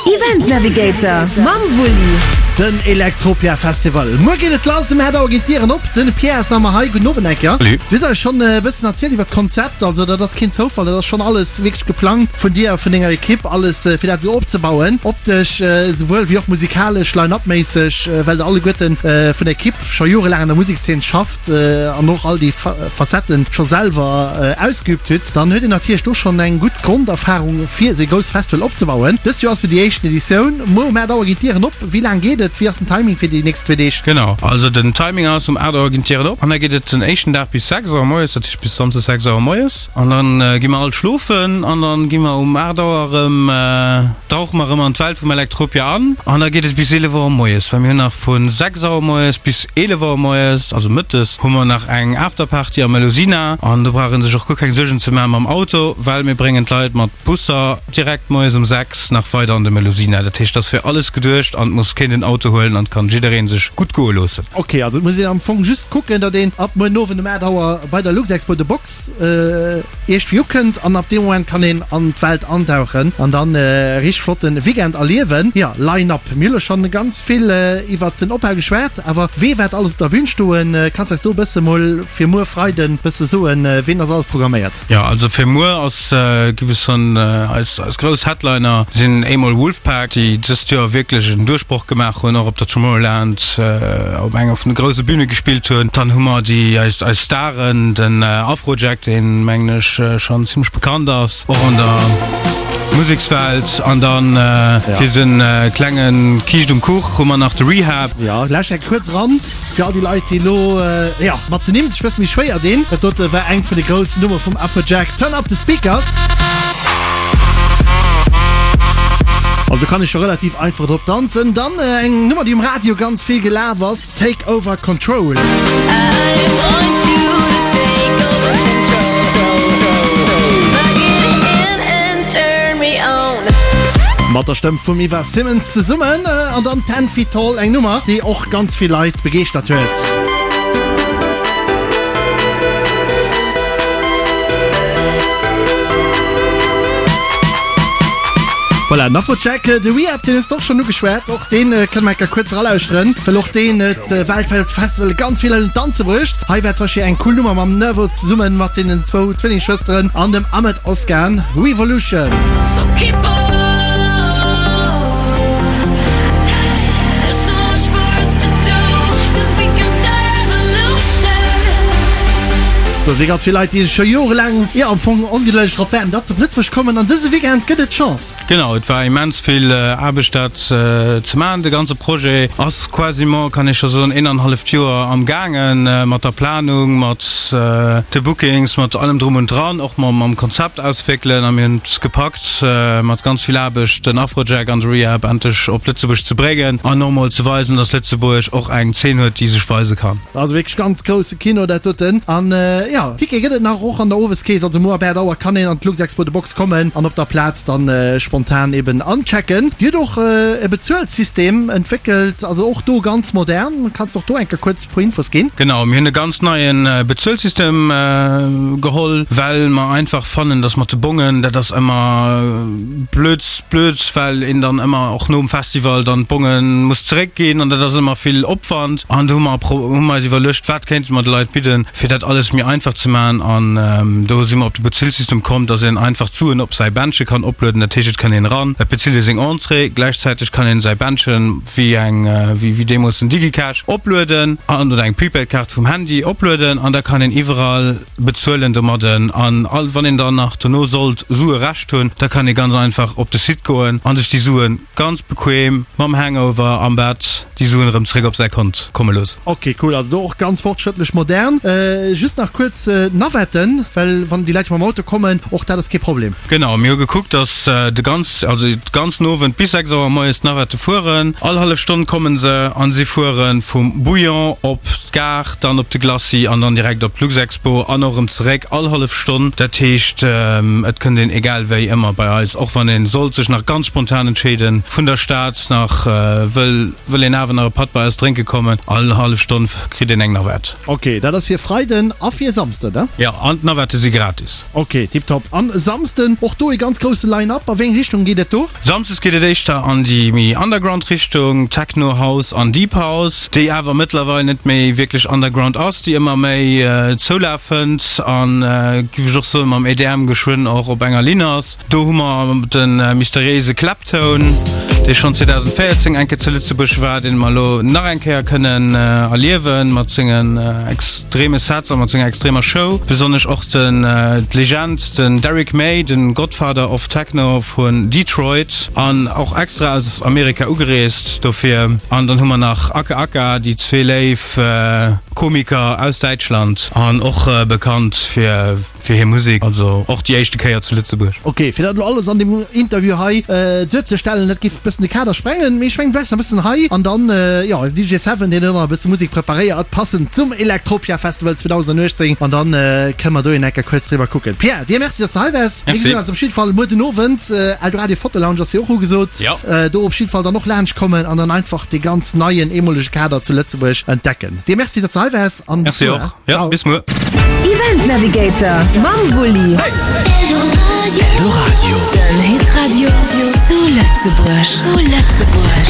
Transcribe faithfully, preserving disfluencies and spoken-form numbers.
Event Navigator mam Wulli. Den Electropia Festival. Muer geet et lass, um aacht Auer ginn d'Dieren op. Den Pierre ass nach ëmmer hei. Gudden Owend eng Kéier. Salut. Du hues eis schonn e bëssen erzielt iwwer d'Konzept. Also dat ass keen Zoufall, dat ass schonn alles wierklech geplangt vun dir a vun denger Ekipp, alles fir dat esou opzebauen. Optesch esouwuel wéi och musikalesch, Line-up-méisseg, well der alleguerten vun der Ekipp scho jorelaang an der Musekszeen schafft an och all déi Facetten scho selwer ausgeübt hutt. Dann huet een natierlech do schonn eng gutt Gronderfarung fir esou ee grousst Festival opzebauen. Dëst Joer ass jo déi éischten Editioun. Muer um aacht Auer ginn d'Dieren op. Wéi laang geet et? Wéi ass den Timing fir déi nächst zwee Deeg? Genau, also den Timing ass, um aacht Auer ginn d'Dieren op an da geet et den éischten Dag bis sechs Auer moies, dat heescht bis Samsdes sechs Auer moies. An da gi mer all schlofen an da gi mer um aacht Auer erëm, dauche mer erëm an d'Welt vum Electropia an an da geet et bis eelef Auer moies, well mir hunn nach vu sechs Auer moies bis eelef Auer moies, also mëttes, hu mer nach eng Afterparty am Melusina an do brauch ee sech och guer keng Suergen ze maachen mam Auto, well mir bréngen d'Leit mat Busser direkt moies um sechs nach weider an de Melusina. Dat heescht, et ass fir alles geduecht an et muss keen den Auto huelen an et kann jidderee sech gutt goe loossen. Ok, also et muss een am Fong just kucken, datt een ab muer Owend um aacht Auer bei der Luxexpo The Box iergendwéi ukënnt an ab deem Moment kann een an d'Welt antauchen an dann e richteg flotte Weekend erliewen. Jo, Line-Up, mir hu lo schonn ganz vill iwwert den Opbau geschwat, awer wee wäert alles op der Bühn stoen? Kanns eis do e bësse mol fir muer Freiden bësse soen, ween ass alles programméiert? Jo, also fir muer ass, giff ech soen, eis eis grouss Headliner sinn eemol Wolfpack, déi dëst Joer wierklech en Duerchbroch gemaach hunn, och op der Tomorrowland op enger vun de grousse Bühne gespillt hunn. Dann hu mer déi eis eis Staren, den Afrojack, deen mengen ech schonn zimmlech bekannt ass, och an der Musekswelt. An dann fir den klenge Kiischt um Kuch hu mer nach de Rehab. Jo, lauscht eng kuerz eran fir all déi Leit, déi elo, jo, mat den Nimm sech e bësse méi schwéier dinn. Dat dote war eng vun de groussen Nummere vum Afrojack, Turn Up The Speakers. Also do kann ech scho relativ einfach drop danzen. Dann eng Nummer, déi um Radio ganz vill gelaf ass, Take Over Control. Mat der Stëmm vum Eva Simmons zesummen an dann Ten Feet Tall, eng Nummer, déi och ganz vill Leit begeeschtert huet. Voilà, den Afrojack, de Rehab, deen hues de och schonn ugeschwat. Och deen kënne mer eng Kéier kuerz eralauschteren, well och deen huet weltwäit op de Festival ganz vill Leit un d'Danze bruecht. Hei war zum Beispill eng cool Nummer mam Nervo zesummen mat deenen zwou Zwillingsschwësteren an dem Ahmet Ozcan, Revolution. Do si ganz vill Leit, déi scho jorelaang, jo am Fong ongedëlleg drop waarden, datt se op Lëtzebuerg kommen an dëse Weekend gëtt et d'Chance. Genau, et war immens vill Aarbecht dat ze maachen. De ganze Projet ass quasiment, kann ee scho soen, een an halleft Joer am gaangen, mat der Planung, mat de Bookings, mat allem drum und dran, och mam Konzept auswéckelen. A mir hunn et gepackt, mat ganz vill Aarbecht den Afrojack an de Rehab endlech op Lëtzebuerg ze bréngen an och mol ze weisen, dass Lëtzebuerg och eng Zeen huet, déi sech weise kann. Also wierklech ganz grousse Kino dat doten. An jo, Ticket gëtt et nach och an der Oweskees. Also muer ab aacht Auer kann een an d'Luxexpo The Box kommen an op der Plaz dann spontan eben anchecken. Dir hutt och e Bezuelsystem entwéckelt, also och do ganz modern. Kanns de och do eng Kéier kuerz e puer Infos ginn? Genau, mir hunn e ganz neie Bezuelsystem geholl, well mer einfach fannen, dass mat de Bongen, dat ass ëmmer blöd, blöd, well een dann ëmmer och nom Festival dann d'Bonge muss zeréckginn an dat ass ëmmer vill Opwand. An do hu mer hu mer eis iwwerluecht, wat kéinte mer de Leit bidden, fir dat alles méi einfach ze maachen. An do si mer op de Bezuelsystem komm, dass een einfach d'Suen op säi Bändche kann oplueden. Dat heescht, et kann een eran, et bezilt ee seng Entrée, gläichzäiteg kann een säi Bändchen, wéi eng, wéi deemools den DigiCash, oplueden an, oder eng Prepaid-Kaart vum Handy oplueden an da kann een iwwerall bezuelen domadden. An all, wann een dann nach dono sollt Sue Rescht hunn, da kann ee ganz einfach op de Site goen an sech déi Suen ganz bequem mam Hangover am Bett déi Suen erëm zréck op säi Kont komme loossen. Ok, cool, also do och ganz fortschrëttlech, modern. Just nach kuerz d'Navetten, well wann déi Leit mam Auto kommen, och dat ass kee Problem. Genau, mir hu gekuckt, dass de ganz, also de ganzen Owend bis sechs Auer moies d'Navette fueren. All hallef Stonn komme se an si fuere vum Bouillon op d'Gare, dann op de Glacis an dann direkt op d'Luxexpo an och erëm zeréck, all hallef Stonn. Dat heescht, et kënnt een egal wéi ëmmer bei eis, och wann ee sollt sech nach ganz spontan entscheeden, vun der Stad nach wëll wëll een awer nach e Patt bei eis drénke kommen, all hallef Stonn kritt een eng Navette. Ok, dat ass fir Freiden a fir Samsden. Samsden, ne? Jo, an d'Navette si gratis. Ok, tiptop. An Samsden och do e ganz grousse Line-Up. A wéi eng Richtung geet et do? Samsdes geet et éischter an déi méi Underground Richtung, Techno, House an Deep House, déi awer mëttlerweil net méi wierklech Underground ass, déi ëmmer méi Zoulaf fënnt an, giff ech och soen, mam E D M geschwënn och op enger Linn ass. Do hu mer de mysteriéise Claptone, dee schonn zweedausendvéierzéng eng Kéier zu Lëtzebuerg war, dee mer elo nach eng Kéier kënnen erliewen mat sengen extreme Sets a mat senger extremer Show. Besonnesch och den d'Legend, den Derrick May, den Godfather of Techno vun Detroit an och extra aus Amerika ugereest dofir. An dann hu mer nach Aka Aka, déi zwee léif Komiker aus Däitschland an och bekannt fir fir hir Musek, also och déi éischte Kéier zu Lëtzebuerg. Ok, fir dat elo alles an deem Interview hei duerzestellen, dat géif e bëssen de Kader sprengen, mee ech mengen, du bleiws nach e bëssen hei an dann, jo, eisen D J Seven, deen huet och nach e bësse Musek preparéiert, passend zum Electropia Festival zweedausenduechtzéng an dann kënne mer do een Ecker kuerz driwwer kucken. Pierre, dir Merci, dass de hei waars. Mir gesinn eis op jidde Fall muer den Owend. Eldoradio Foto Lounge ass jo och ugesot. Do op jidde Fall dann och laanscht kommen an dann einfach dee ganz neien, eemolege Kader zu Lëtzebuerg entdecken. Dir Merci, dass de hei waars an bis Merci och. Ja, bis muer. Event Navigator mam Wulli. Eldoradio. Den Hitradio zu Lëtzebuerg. Zu Lëtzebuerg.